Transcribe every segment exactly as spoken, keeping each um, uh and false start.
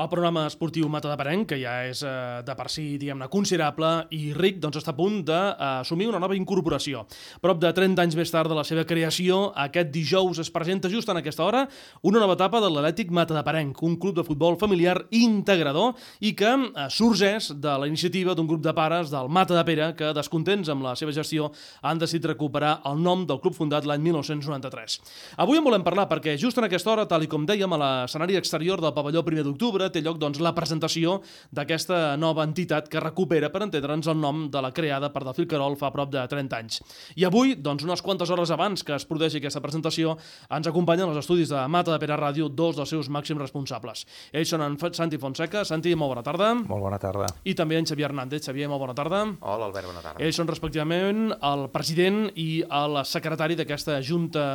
El programa esportiu Matadepera, que ja és eh, de per si, diguem-ne, considerable i ric, doncs està a punt d'assumir una nova incorporació. Prop de trenta anys més tard de la seva creació, aquest dijous es presenta just en aquesta hora una nova etapa de l'Atlètic Matadeperenc, un club de futbol familiar integrador i que eh, sorgeix de la iniciativa d'un grup de pares del Matadepera que, descontents amb la seva gestió, han decidit recuperar el nom del club fundat l'any mil nou-cents noranta-tres. Avui en volem parlar perquè just en aquesta hora, tal i com dèiem, a l'escenari exterior del pavelló primer d'octubre té lloc doncs, la presentació d'aquesta nova entitat que recupera, per entendre'ns, el nom de la creada per Delfí Querol fa prop de trenta anys. I avui, doncs, unes quantes hores abans que es produeixi aquesta presentació, ens acompanyen als estudis de Matadepera Ràdio dos dels seus màxims responsables. Ells són en Santi Fonseca. Santi, molt bona tarda. Molt bona tarda. I també en Xavier Hernández. Xavier, molt bona tarda. Hola, Albert, bona tarda. Ells són respectivament el president i el secretari d'aquesta junta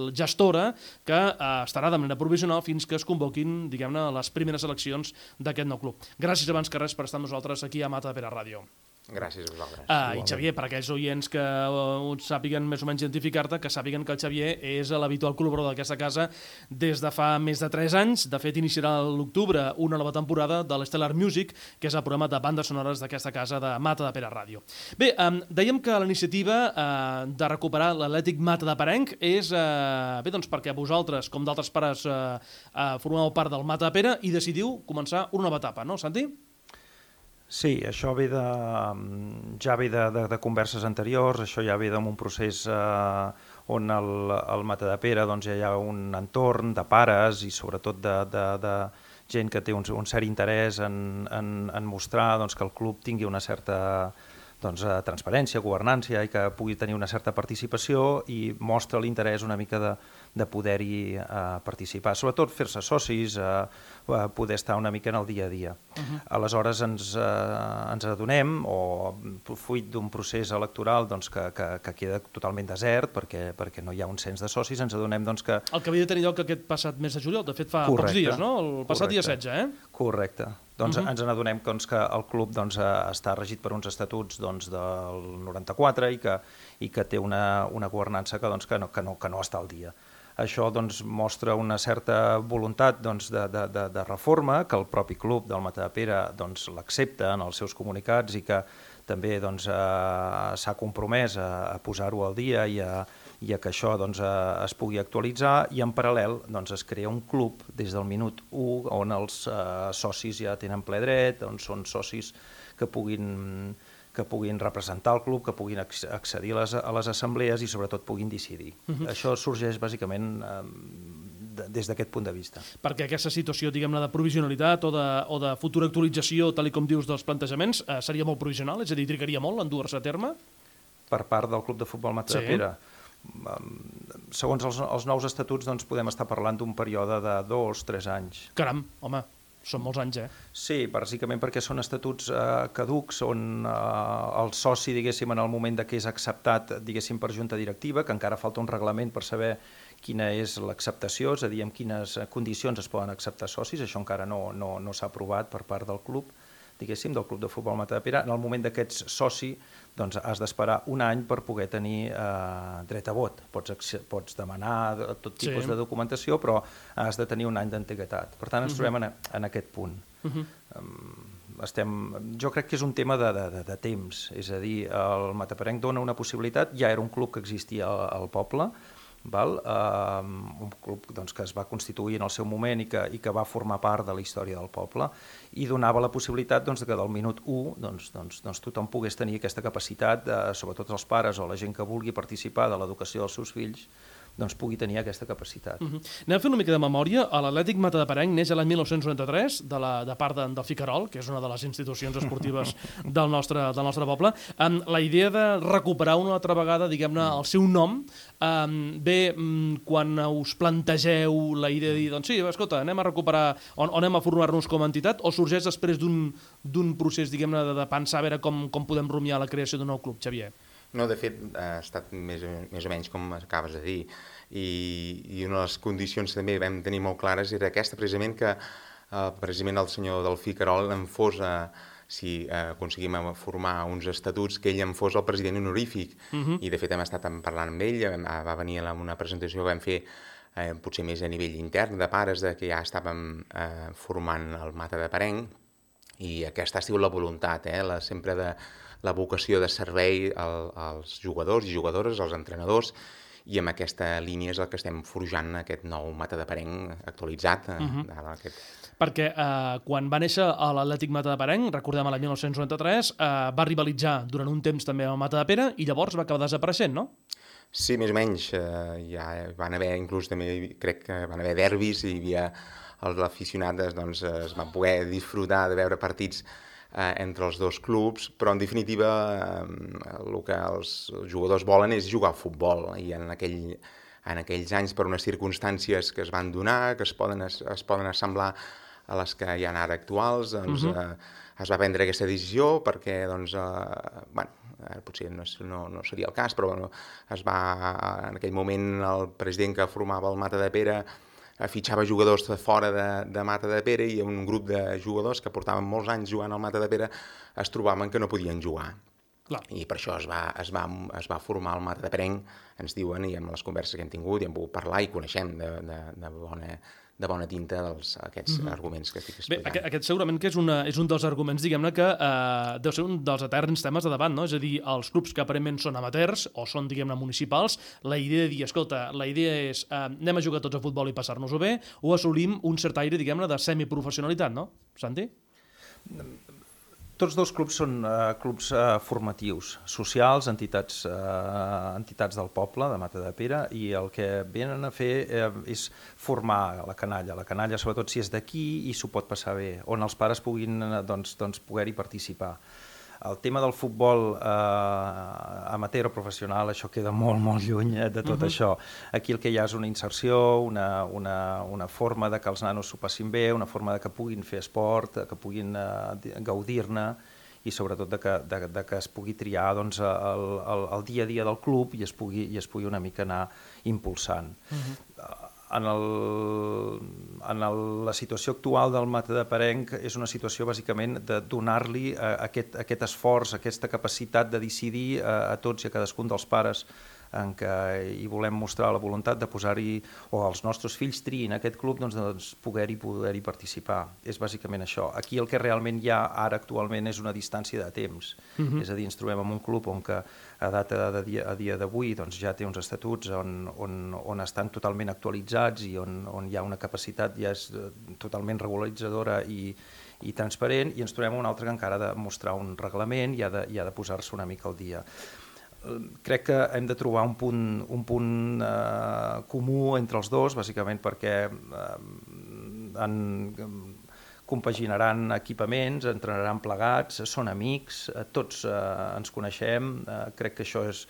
gestora que eh, estarà de manera provisional fins que es convoquin, diguem-ne, les primeres eleccions d'aquest nou club. Gràcies abans que res per estar amb nosaltres aquí a Matadepera Ràdio. Gràcies a vosaltres. Ah, I Xavier, per aquells oients que uh, sàpiguen més o menys identificar-te, que sàpiguen que el Xavier és l'habitual col·laborador d'aquesta casa des de fa més de tres anys. De fet, iniciarà a l'octubre una nova temporada de l'Stellar Music, que és el programa de bandes sonores d'aquesta casa de Matadepera Ràdio. Bé, um, dèiem que la iniciativa uh, de recuperar l'Atlètic Matadeperenc és uh, bé, doncs perquè vosaltres, com d'altres pares, uh, uh, formeu part del Matadepera i decidiu començar una nova etapa, no, Santi? Sí, això ve de, ja ve de, de, de converses anteriors, això ja ve d'un procés eh, on el, el Matadepera doncs, ja hi ha un entorn de pares i sobretot de, de, de gent que té un, un cert interès en, en, en mostrar doncs, que el club tingui una certa doncs, transparència, governància i que pugui tenir una certa participació i mostra l'interès una mica de, de poder-hi eh, participar, sobretot fer-se socis, eh, poder estar una mica en el dia a dia. Uh-huh. Aleshores ens, eh, ens adonem, o fruit d'un procés electoral doncs, que, que, que queda totalment desert perquè, perquè no hi ha un cens de socis, ens adonem doncs, que... El que havia de tenir lloc aquest passat mes de juliol, de fet fa correcte, pocs dies, no? El passat correcte, dia setze, eh? Correcte. Doncs uh-huh. ens n'adonem doncs, que el club doncs, està regit per uns estatuts doncs, del noranta-quatre i que, i que té una, una governança que, doncs, que, no, que, no, que no està al dia. Això doncs, mostra una certa voluntat doncs, de, de, de, de reforma, que el propi club del Matadepera doncs, l'accepta en els seus comunicats i que també doncs, eh, s'ha compromès a, a posar-ho al dia i a, i a que això doncs, eh, es pugui actualitzar, i en paral·lel doncs, es crea un club des del minut u on els eh, socis ja tenen ple dret, on són socis que puguin, que puguin representar el club, que puguin accedir a les, a les assemblees i sobretot puguin decidir. Uh-huh. Això sorgeix bàsicament eh, des d'aquest punt de vista. Perquè aquesta situació, diguem-ne, de provisionalitat o de, o de futura actualització, tal i com dius, dels plantejaments, eh, seria molt provisional? És a dir, trigaria molt en dur-se a terme? Per part del Club de Futbol Matadepera? Sí. Segons els, els nous estatuts doncs, podem estar parlant d'un període de dos, tres anys. Caram, home, són molts anys, eh? Sí, bàsicament perquè són estatuts eh, caducs on eh, el soci, diguéssim, en el moment de que és acceptat, diguéssim, per junta directiva, que encara falta un reglament per saber quina és l'acceptació, és a dir, en quines condicions es poden acceptar socis, això encara no, no, no s'ha aprovat per part del club, diguéssim, del Club de Futbol Matadepera. En el moment que ets soci, doncs has d'esperar un any per poder tenir eh, dret a vot. Pots, pots demanar tot tipus sí. de documentació, però has de tenir un any d'antiguitat. Per tant, ens uh-huh. trobem en, en aquest punt. Uh-huh. um, estem, jo crec que és un tema de, de, de temps, és a dir, el Matadeperenc dona una possibilitat, ja era un club que existia al, al poble, val? Uh, un club doncs, que es va constituir en el seu moment i que, i que va formar part de la història del poble i donava la possibilitat doncs, que del minut u doncs, doncs, doncs, tothom pogués tenir aquesta capacitat, de, sobretot els pares o la gent que vulgui participar de l'educació dels seus fills, doncs pugui tenir aquesta capacitat. Uh-huh. Anem a fer una mica de memòria. L'Atlètic Matadeperenc neix l'any mil nou-cents noranta-tres de, la, de part de, del Delfí Querol, que és una de les institucions esportives del nostre, del nostre poble. Um, la idea de recuperar una altra vegada, diguem-ne, el seu nom, um, ve um, quan us plantegeu la idea de dir, doncs sí, escolta, anem a recuperar, o, o anem a formar-nos com a entitat, o sorgeix després d'un procés, diguem-ne, de, de pensar a veure com, com podem rumiar la creació d'un nou club, Xavier? No, de fet, ha estat més, més o menys com acabes de dir, i, i una de les condicions que també vam tenir molt clares era aquesta, precisament, que eh, precisament el senyor Delfí Querol en fos, eh, si eh, aconseguim formar uns estatuts, que ell en fos el president honorífic, uh-huh. i de fet hem estat parlant amb ell, va venir a una presentació que vam fer eh, potser més a nivell intern de pares, de que ja estàvem eh, formant el Mata de Parenc, i aquesta ha sigut la voluntat, eh, la, sempre de la vocació de servei al, als jugadors i jugadores, als entrenadors, i amb aquesta línia és el que estem forjant aquest nou Mata de Parenc actualitzat. Eh, uh-huh. aquest... Perquè eh, quan va néixer l'Atlètic Mata de Parenc, recordem l'any mil nou-cents noranta-tres, eh, va rivalitzar durant un temps també amb el Mata de Pere i llavors va acabar desapareixent, no? Sí, més o menys. Eh, ja van haver, inclús també crec que van haver derbis i hi havia els aficionats, doncs, es van poder disfrutar de veure partits eh, entre els dos clubs, però en definitiva eh, el que els jugadors volen és jugar a futbol, i en, aquell, en aquells anys, per unes circumstàncies que es van donar, que es poden, es, es poden assemblar a les que hi ha ara actuals, doncs, uh -huh. eh, es va prendre aquesta decisió perquè, doncs, eh, bueno, eh, potser no, no, no seria el cas, però bueno, es va, en aquell moment el president que formava el Mata de Pere fitxava jugadors de fora de, de Mata de Pere, i un grup de jugadors que portaven molts anys jugant al Mata de Pere es trobaven que no podien jugar. Clar. I per això es va, es, va, es va formar el Mata de Parenc, ens diuen, i amb les converses que hem tingut i hem pogut parlar i coneixem de, de, de, bona, de bona tinta dels, aquests mm-hmm. arguments que estic explicant. Bé, aquest, aquest segurament que és, una, és un dels arguments, diguem-ne, que eh, deu ser un dels eterns temes de debat, no? És a dir, els clubs que aparentment són amateurs o són, diguem-ne, municipals, la idea de dir, escolta, la idea és eh, anem a jugar tots a futbol i passar-nos-ho bé, o assolim un cert aire, diguem-ne, de semiprofessionalitat, no? Santi? Tots dos clubs són uh, clubs uh, formatius, socials, entitats, uh, entitats del poble, de Mata de Pere, i el que venen a fer uh, és formar la canalla, la canalla sobretot si és d'aquí i s'ho pot passar bé, on els pares puguin doncs, doncs, poder-hi participar. El tema del futbol eh, amateur o professional, això queda molt, molt lluny de tot uh-huh. això. Aquí el que hi ha és una inserció, una, una, una forma de que els nanos s'ho passin bé, una forma de que puguin fer esport, que puguin eh, gaudir-ne, i sobretot de que, de, de que es pugui triar doncs, el, el, el dia a dia del club i es pugui, i es pugui una mica anar impulsant. Uh-huh. En, el, en el, la situació actual del Mata de Parenc és una situació bàsicament de donar-li eh, aquest, aquest esforç, aquesta capacitat de decidir eh, a tots i a cadascun dels pares, en què hi volem mostrar la voluntat de posar-hi, o els nostres fills triïn aquest club, doncs, doncs poder-hi poder-hi participar. És bàsicament això. Aquí el que realment hi ha ara actualment és una distància de temps. Uh-huh. És a dir, ens trobem en un club on que a data de dia, a dia d'avui doncs, ja té uns estatuts on, on, on estan totalment actualitzats i on, on hi ha una capacitat ja és totalment regularitzadora i, i transparent, i ens trobem un altre que encara ha de mostrar un reglament i ha de, i ha de posar-se una mica al dia. Crec que hem de trobar un punt, un punt eh, comú entre els dos, bàsicament perquè eh, en, compaginaran equipaments, entrenaran plegats, són amics, eh, tots eh, ens coneixem, eh, crec que això és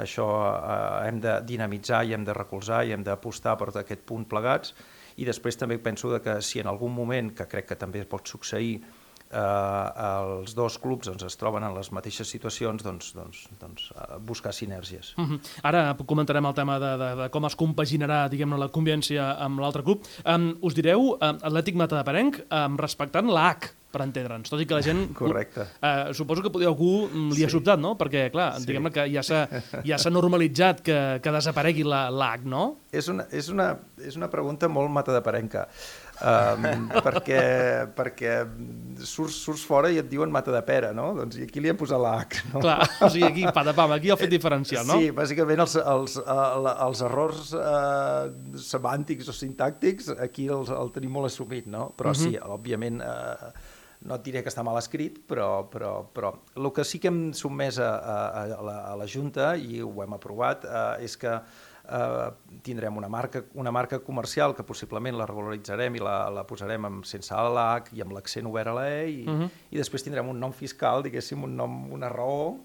això eh, hem de dinamitzar i hem de recolzar i hem d'apostar per aquest punt plegats, i després també penso que si en algun moment, que crec que també pot succeir, Eh, els dos clubs doncs, es troben en les mateixes situacions, doncs, doncs, doncs, eh, buscar sinergies. Uh-huh. Ara comentarem el tema de, de, de com es compaginarà, diguem-ne, la convivència amb l'altre club. Um, us direu um, Atlètic Mata de Parenc um, respectant l'A H, per entendre'ns, tot i que la gent... Correcte. Uh, suposo que podria algú li ha sobtat, no? Perquè, clar, sí. diguem-ne que ja s'ha ja s'ha normalitzat que, que desaparegui l'A H, no? És una, és, una, és una pregunta molt matadeparenca. Um, perquè, perquè surts, surts fora i et diuen Mata de Pere, no? Doncs i aquí li hem posat la H, no? Clar, o sigui, aquí, patapam, aquí el fet diferencial, no? Sí, bàsicament els, els, els errors eh, semàntics o sintàctics aquí els, el tenim molt assumit, no? Però uh-huh. sí, òbviament, eh, no et diré que està mal escrit, però, però, però el que sí que hem sotmès a, a, a, la, a la Junta, i ho hem aprovat, eh, és que Uh, tindrem una marca, una marca comercial que possiblement la regularitzarem i la, la posarem amb, sense l'A H i amb l'accent obert a la E, i, uh-huh. i després tindrem un nom fiscal, diguéssim, un nom, una raó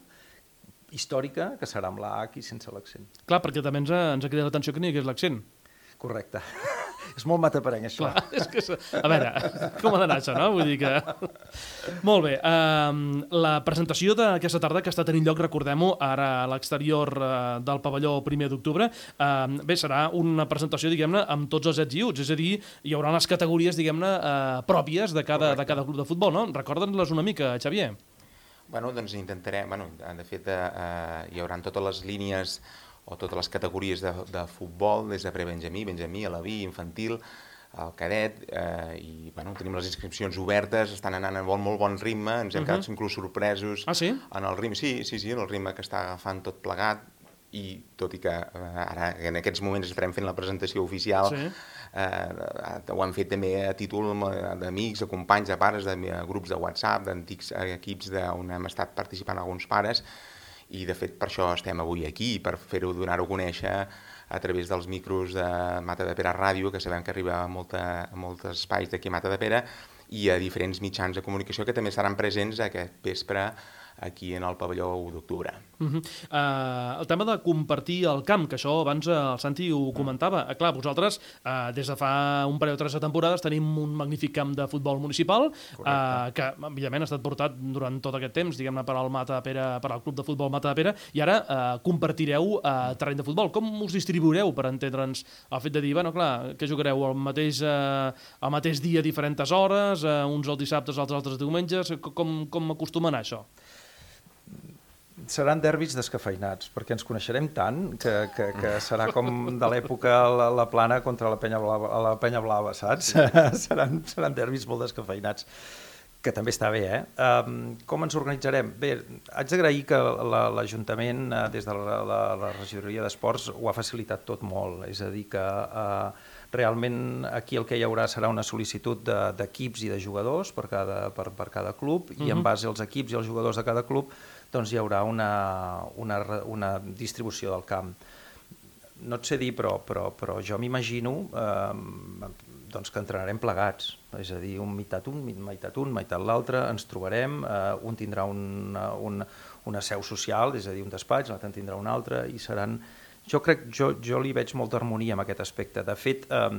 històrica que serà amb l'A H i sense l'accent. Clar, perquè també ens ha, ens ha cridat l'atenció que n'hi hagués l'accent. Correcte. És molt mataparenc, això. Clar, és que, a veure, com ha d'anar això, no? Vull dir que... Molt bé. Um, la presentació d'aquesta tarda, que està tenint lloc, recordem-ho, ara a l'exterior uh, del pavelló primer d'octubre, um, bé, serà una presentació, diguem-ne, amb tots els ets i uts, és a dir, hi haurà les categories, diguem-ne, uh, pròpies de cada, de cada club de futbol, no? Recorda'ns-les una mica, Xavier. Bueno, doncs intentarem, bueno, de fet, eh, hi haurà totes les línies o totes les categories de, de futbol, des de pre-benjamí, benjamí, alaví, infantil, el cadet, eh, i bueno, tenim les inscripcions obertes, estan anant a bon, molt bon ritme, ens hem uh -huh. quedat inclús sorpresos ah, sí? en el ritme, sí, sí, sí, en el ritme que està agafant tot plegat, i tot i que eh, ara en aquests moments estarem fent la presentació oficial, sí. eh, ho hem fet també a títol d'amics, de companys, de pares, de, de grups de WhatsApp, d'antics equips on hem estat participant alguns pares, i de fet per això estem avui aquí, per fer-ho, donar-ho a conèixer a través dels micros de Matadepera Ràdio, que sabem que arriba a, molta, a molts espais d'aquí a Matadepera, i a diferents mitjans de comunicació que també seran presents aquest vespre aquí en el pavelló u d'octubre. Uh -huh. uh, el tema de compartir el camp, que això abans uh, el Santi ho comentava. Uh, clar, vosaltres, uh, des de fa un parell o tres de temporades, tenim un magnífic camp de futbol municipal, uh, que, evidentment, ha estat portat durant tot aquest temps, diguem-ne, per al Matadepera, per al Club de Futbol Matadepera, i ara uh, compartireu uh, terreny de futbol. Com us distribuireu, per entendre'ns, el fet de dir, bueno, clar, que jugareu el mateix, uh, el mateix dia a diferents hores, uh, uns els dissabtes, els altres diumenges, com, com acostuma a anar això? Seran derbis descafeinats, perquè ens coneixerem tant que, que, que serà com de l'època la, la Plana contra la Penya Blava, la Penya Blava, saps? seran, seran derbis molt descafeinats, que també està bé, eh? Um, com ens organitzarem? Bé, haig d'agrair que l'Ajuntament, la, des de la, la, la regidoria d'Esports, ho ha facilitat tot molt, és a dir, que uh, realment aquí el que hi haurà serà una sol·licitud d'equips i de jugadors per cada, per, per cada club, uh-huh. i en base als equips i als jugadors de cada club doncs hi haurà una, una, una distribució del camp. No et sé dir, però, però, però jo m'imagino eh, doncs que entrenarem plegats, és a dir, un meitat un, meitat un, meitat l'altre, ens trobarem, eh, un tindrà una, una, una seu social, és a dir, un despatx, l'altre en tindrà un altre, i seran... Jo crec, jo, jo li veig molta harmonia en aquest aspecte. De fet, eh,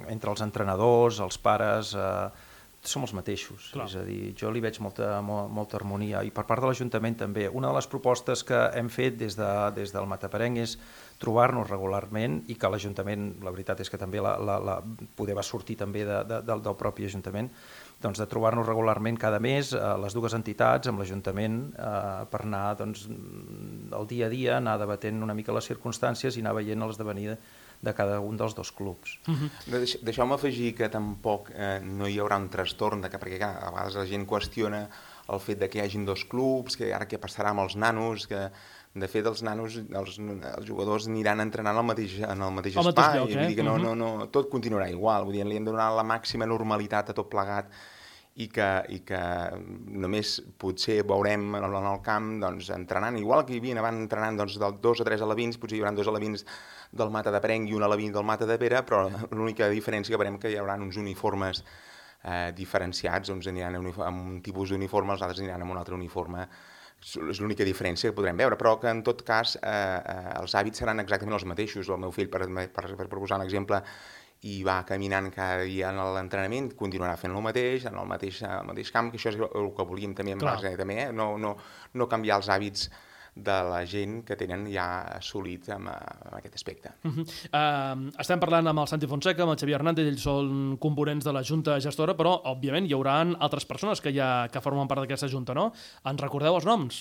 entre els entrenadors, els pares... Eh, som els mateixos, Clar. És a dir, jo li veig molta, molta harmonia, i per part de l'Ajuntament també. Una de les propostes que hem fet des, de, des del Mataparenc és trobar-nos regularment, i que l'Ajuntament, la veritat és que també la, la, la, poder va sortir també de, de, del, del propi Ajuntament, doncs de trobar-nos regularment cada mes eh, les dues entitats amb l'Ajuntament eh, per anar doncs, el dia a dia, anar debatent una mica les circumstàncies i anar veient l'esdevenir de cada un dels dos clubs. Uh-huh. Deixeu-me afegir que tampoc eh, no hi haurà un trastorn, de que, perquè clar, a vegades la gent qüestiona el fet de que hi hagin dos clubs, que ara què passarà amb els nanos, que de fet els nanos, els, els jugadors aniran entrenant al mateix, en el mateix el espai, mateix lloc, eh? Vull dir que no, uh-huh. no, no, tot continuarà igual, vull dir, li hem de donar la màxima normalitat a tot plegat, i que, i que només potser veurem en el, en el camp doncs, entrenant, igual que hi havia abans entrenant doncs, del dos a tres alevins, potser hi haurà dos alevins del Matadepera i un aleví del Matadepera, però l'única diferència que veurem que hi haurà uns uniformes eh, diferenciats, uns aniran amb un tipus d'uniforme, els altres aniran amb un altre uniforme. És l'única diferència que podrem veure, però que en tot cas eh, eh, els hàbits seran exactament els mateixos. El meu fill, per, per, per proposar un exemple, i va caminant cada dia en l'entrenament, continuarà fent el mateix, en el mateix, el mateix camp, que això és el que volíem també en base, també, eh? no, no, no canviar els hàbits de la gent que tenen ja assolits en, en aquest aspecte. Uh-huh. uh, estem parlant amb el Santi Fonseca, amb el Xavier Hernández, ells són components de la Junta Gestora, però, òbviament, hi haurà altres persones que, ja, que formen part d'aquesta Junta, no? Ens recordeu els noms?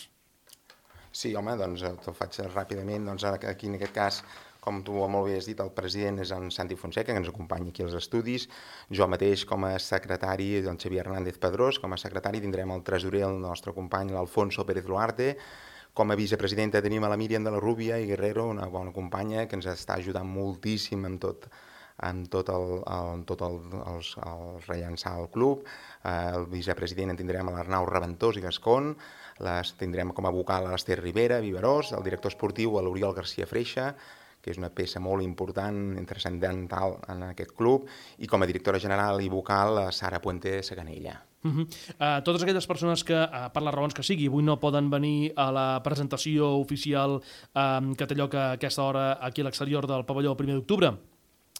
Sí, home, doncs ho faig ràpidament. Doncs aquí, en aquest cas, com tu molt bé has dit, el president és en Santi Fonseca, que ens acompanya aquí als estudis. Jo mateix, com a secretari, el Xavier Hernández Pedrós, com a secretari tindrem el tresorer, el nostre company, l'Alfonso Pérez Duarte. Com a vicepresidenta tenim a la Míriam de la Rúbia i Guerrero, una bona companya que ens està ajudant moltíssim en tot, en tot el, el, tot el, el, el rellançar el club. El vicepresident en tindrem a l'Arnau Reventós i Gascon, les tindrem com a vocal a l'Ester Rivera, Viverós, el director esportiu a l'Oriol García Freixa, que és una peça molt important, transcendental en aquest club, i com a directora general i vocal a Sara Puente Saganella. Uh-huh. uh, totes aquelles persones que, uh, per les raons que sigui, avui no poden venir a la presentació oficial um, que té lloc a aquesta hora aquí a l'exterior del pavelló primer d'octubre,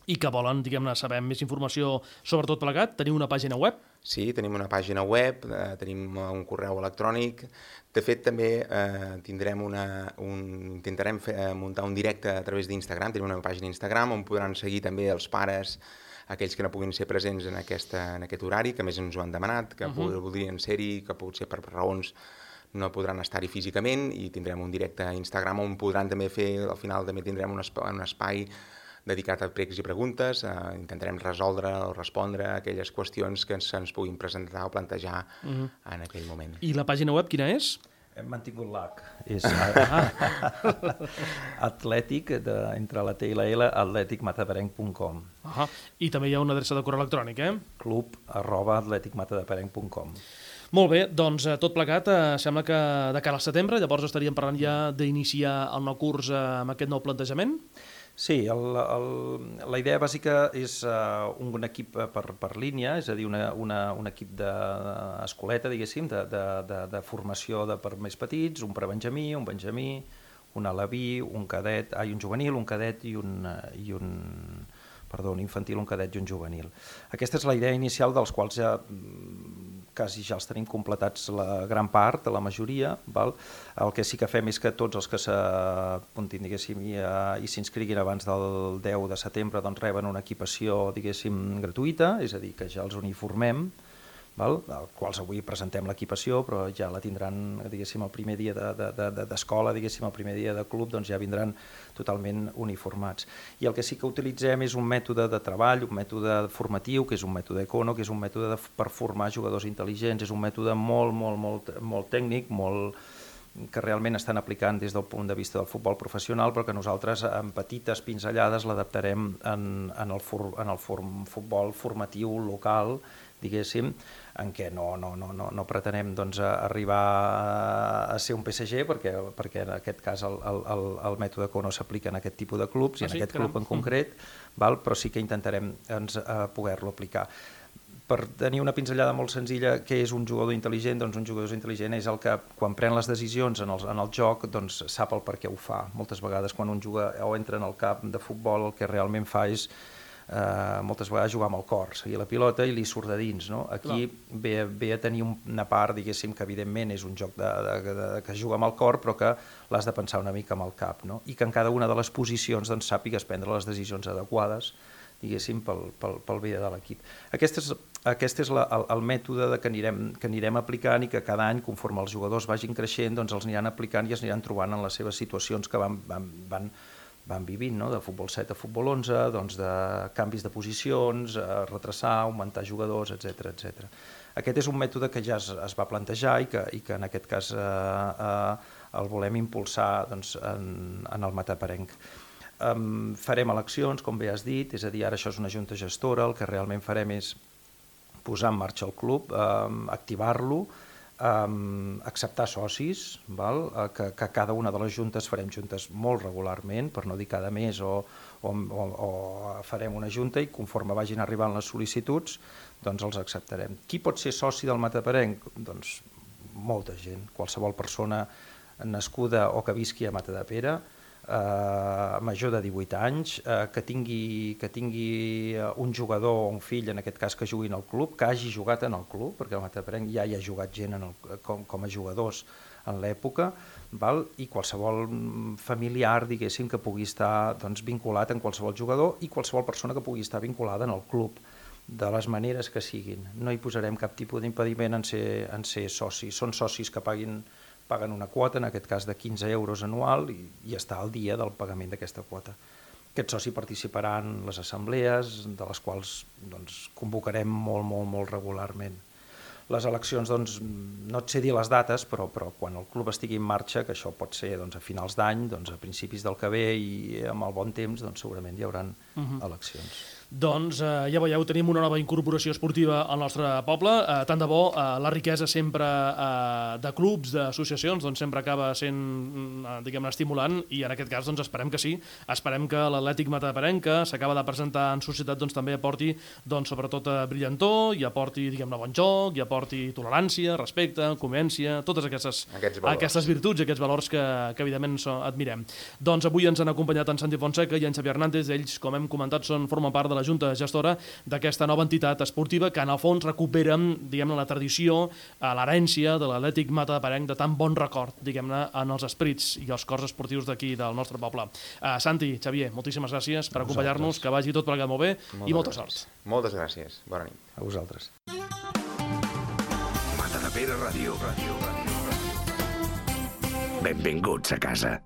i que volen, diguem-ne, saber més informació sobre tot plegat, teniu una pàgina web? Sí, tenim una pàgina web, eh, tenim un correu electrònic. De fet, també eh, tindrem una, un, intentarem fer, eh, muntar un directe a través d'Instagram, tenim una pàgina d'Instagram on podran seguir també els pares, aquells que no puguin ser presents en, aquesta, en aquest horari, que més ens ho han demanat, que uh-huh. voldrien ser-hi, que potser per raons no podran estar-hi físicament i tindrem un directe a Instagram on podran també fer, al final també tindrem un espai, un espai dedicat a pregs i preguntes, eh, intentarem resoldre o respondre a aquelles qüestions que se'ns puguin presentar o plantejar uh-huh. en aquell moment. I la pàgina web quina és? Hem mantingut l'H. És atlètic, de, entre la T i la L, atlètic mataparenc punt com. Uh-huh. I també hi ha una adreça de correu electrònic, eh? club arroba atlètic mataparenc punt com. Molt bé, doncs tot plegat, eh, sembla que de cara al setembre, llavors estaríem parlant ja d'iniciar el nou curs eh, amb aquest nou plantejament? Sí, el, el, la idea bàsica és uh, un equip per, per línia, és a dir, una, una, un equip d'escoleta, diguéssim, de, de, de, de formació de, per més petits, un prebenjamí, un benjamí, un alaví, un cadet, ai, un juvenil, un cadet i un, i un, perdó, un infantil, un cadet i un juvenil. Aquesta és la idea inicial, dels quals ja quasi ja els tenim completats la gran part, la majoria. Val? El que sí que fem és que tots els que s'apuntin, diguéssim, i, i s'inscriguin abans del deu de setembre doncs reben una equipació, diguéssim, gratuïta, és a dir, que ja els uniformem, val? Als quals avui presentem l'equipació, però ja la tindran, diguéssim, el primer dia d'escola, de, de, de, diguéssim, el primer dia de club, doncs ja vindran totalment uniformats. I el que sí que utilitzem és un mètode de treball, un mètode formatiu, que és un mètode Econo, que és un mètode de, per formar jugadors intel·ligents, és un mètode molt, molt, molt, molt tècnic, molt que realment estan aplicant des del punt de vista del futbol professional, però que nosaltres amb petites pinzellades l'adaptarem en, en el, for, en el form, futbol formatiu local, diguéssim, en què no, no, no, no, no pretenem doncs, arribar a ser un P S G, perquè, perquè en aquest cas el, el, el mètode Econo s'aplica en aquest tipus de clubs, i en ah, sí? aquest club en concret, val? Però sí que intentarem doncs, poder-lo aplicar. Per tenir una pinzellada molt senzilla, què és un jugador intel·ligent? Doncs un jugador intel·ligent és el que, quan pren les decisions en el, en el joc, doncs sap el per què ho fa. Moltes vegades, quan un juga o entra en el camp de futbol, el que realment fa és Uh, moltes vegades jugar amb el cor, seguir la pilota i li surt de dins. No? Aquí ve, ve a tenir una part, diguéssim, que evidentment és un joc de, de, de, de, que juga amb el cor, però que l'has de pensar una mica amb el cap, no? I que en cada una de les posicions doncs, sàpigues prendre les decisions adequades, diguéssim, pel, pel, pel bé de l'equip. Aquest és, aquest és la, el, el mètode de que, anirem, que anirem aplicant i que cada any, conforme els jugadors vagin creixent, doncs els aniran aplicant i es aniran trobant en les seves situacions que van, van, van van vivint, no? De futbol set a futbol onze, doncs de canvis de posicions, eh, retrasar, augmentar jugadors, etcètera, etcètera. Aquest és un mètode que ja es, es va plantejar i que, i que en aquest cas eh, eh, el volem impulsar doncs, en, en el mataparenc. Um, farem eleccions, com bé has dit, és a dir, ara això és una junta gestora, el que realment farem és posar en marxa el club, um, activar-lo, Um, acceptar socis, val? Que, que cada una de les juntes farem juntes molt regularment, per no dir cada mes, o, o, o, o farem una junta i conforme vagin arribant les sol·licituds doncs els acceptarem. Qui pot ser soci del mataparenc? Doncs molta gent, qualsevol persona nascuda o que visqui a Matadepera, eh, major de divuit anys, eh, que tingui, que tingui un jugador o un fill, en aquest cas que jugui en el club, que hagi jugat en el club, perquè el Mataparenc ja hi ha jugat gent en el, com, com a jugadors en l'època, val? I qualsevol familiar, diguéssim, que pugui estar doncs, vinculat en qualsevol jugador i qualsevol persona que pugui estar vinculada en el club, de les maneres que siguin. No hi posarem cap tipus d'impediment en ser, en ser socis. Són socis que paguin paguen una quota, en aquest cas de quinze euros anual, i, i està al dia del pagament d'aquesta quota. Aquest soci participarà en les assemblees, de les quals doncs, convocarem molt, molt, molt regularment. Les eleccions, doncs, no et sé dir les dates, però, però quan el club estigui en marxa, que això pot ser doncs, a finals d'any, doncs, a principis del que ve i amb el bon temps, doncs, segurament hi haurà uh-huh. eleccions. Doncs eh, ja veieu, tenim una nova incorporació esportiva al nostre poble. Eh, tant de bo, eh, la riquesa sempre eh, de clubs, d'associacions, doncs sempre acaba sent, eh, diguem-ne, estimulant, i en aquest cas doncs esperem que sí. Esperem que l'Atlètic Mataparenc, que s'acaba de presentar en societat, doncs també aporti, doncs sobretot a brillantor, i aporti, diguem-ne, bon joc, i aporti tolerància, respecte, convivència, totes aquestes, aquestes virtuts i aquests valors que, que evidentment so, admirem. Doncs avui ens han acompanyat en Santi Fonseca i en Xavier Hernández. Ells, com hem comentat, són, formen part de la Junta Gestora d'aquesta nova entitat esportiva que en el fons recupera, diguem-ne, la tradició, l'herència de l'Atlètic Mataparenc, de tan bon record, diguem-ne, en els esperits i els cors esportius d'aquí del nostre poble. Uh, Santi, Xavier, moltíssimes gràcies per acompanyar-nos, que vagi tot plegat molt bé moltes i molta gràcies. sort. Moltes gràcies. Bona nit. A vosaltres. Matadepera Ràdio. Ràdio, ràdio, ràdio. Benvinguts a casa.